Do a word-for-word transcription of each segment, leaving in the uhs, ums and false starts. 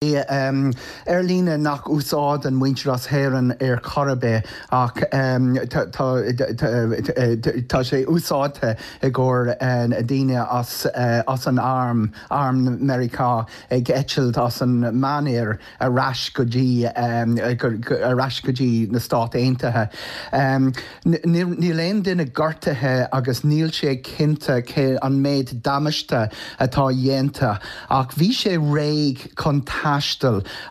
Aerlíne nach úsáideann muintir as hÉirinn ar chor ar bith ach tá sé úsáidte i gcomhair daoine as as an arm arm Meiriceá ag eitilt as an Meánoirthear ar ais go dtí ar ais go dtí na Stáit Aontaithe. Níl aon duine gortaithe agus níl sé cinnte cé an méid damáiste atá déanta ach bhí sé réidh chun taisteal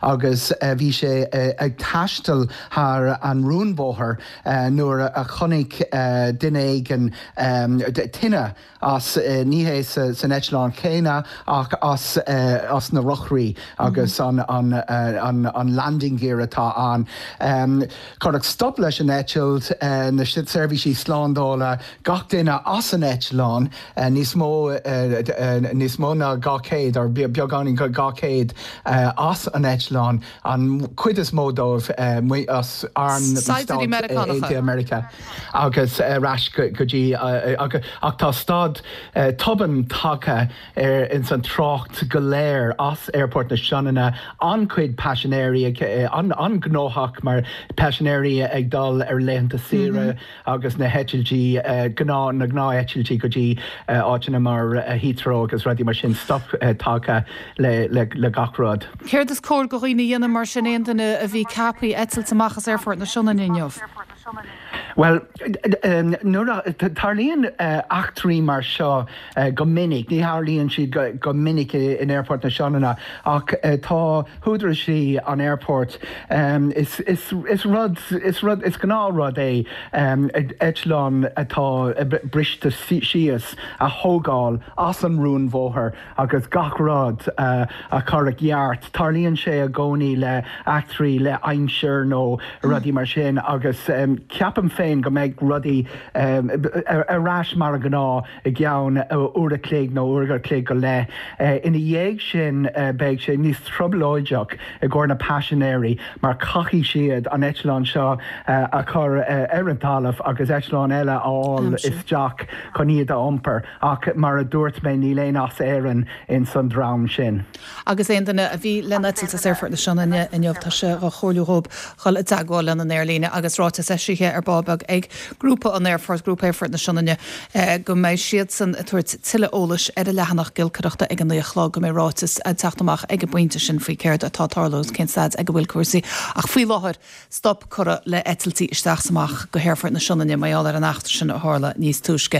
agus bhí sé ag taisteal thar an rúnbóthar nuair a chonaic duine éigin tine as ní hé san eitleán céanna ach as as na rothraí agus an an an an landing gear atá ann. Cuireadh stop leis an eitilt na seirbhísí slándála gach duine as an eitleán níos mó níos mó ná dhá chéad ar beagáinín go dhá chéad as an eitleán an chuid is mó dóibh as arm Meiriceá agus ar ais go dtí ach tá stad tobann tagtha ar ins an trácht go léir as Aerfort na Sionainne an-chuid paisinéirí an-ghnóthach mar paisinéirí ag dul ar laethanta saoire agus na heitiltí gnáth na gnátheitiltí go dtí áiteanna mar Heathrow agus rudaí mar sin stop tagtha le le le gach rud. Céard is cóir do dhaoine a dhéanamh mar sin aon duine a bhí ceaptha eitilt amach as Aerfort na Sionainne inniu? Well nuair tarlaíonn eachtraí mar seo go minic, ní tharlaíonn siad go minic in Aerfort na Sionainne ach tá húdaráis an airport is is is rud is rud is gnáthrud é eitleán atá briste síos a thógáil as an rúnbhóthar agus gach rud a chur i gceart. Tarlaíonn sé i gcónaí le eachtraí le aimsir nó rudaí mar sin agus ceapaim féin go mbeidh rudaí ar ais mar gnáth i gceann uair a chloig nó uair a chloig go leith. Ina dhiaidh sin beidh sé níos trioblóideach i gcomhair na paisinéirí mar caithfidh siad an eitleán seo a chur ar an talamh agus eitleán eile a fháil isteach chun iad a iompar ach mar a dúirt mé níl aon as Éirinn in san dream sin. Agus aon duine a bhí le eitilt as Aerfort na Sionainne inniu tá sé á chomhairliú dóibh dul i dteagmháil lena n-aerlíne agus ráiteas eisithe ar ball beag ag grúpa an Aerfort grúpa Aerfort na Sionainne go mbeidh siadsan ag tabhairt tuilleadh eolais ar a leathanach giolcaireachta ag an naoi a chlog go mbeidh ráiteas ag teacht amach ag an bpointe sin faoi céard atá ag tarlú cén staid ag a bhfuil cúrsaí ach faoi láthair stop curtha le eitiltí isteach amach go hAerfort na Sionainne mar gheall ar an eachtra sin a tharla níos túisce.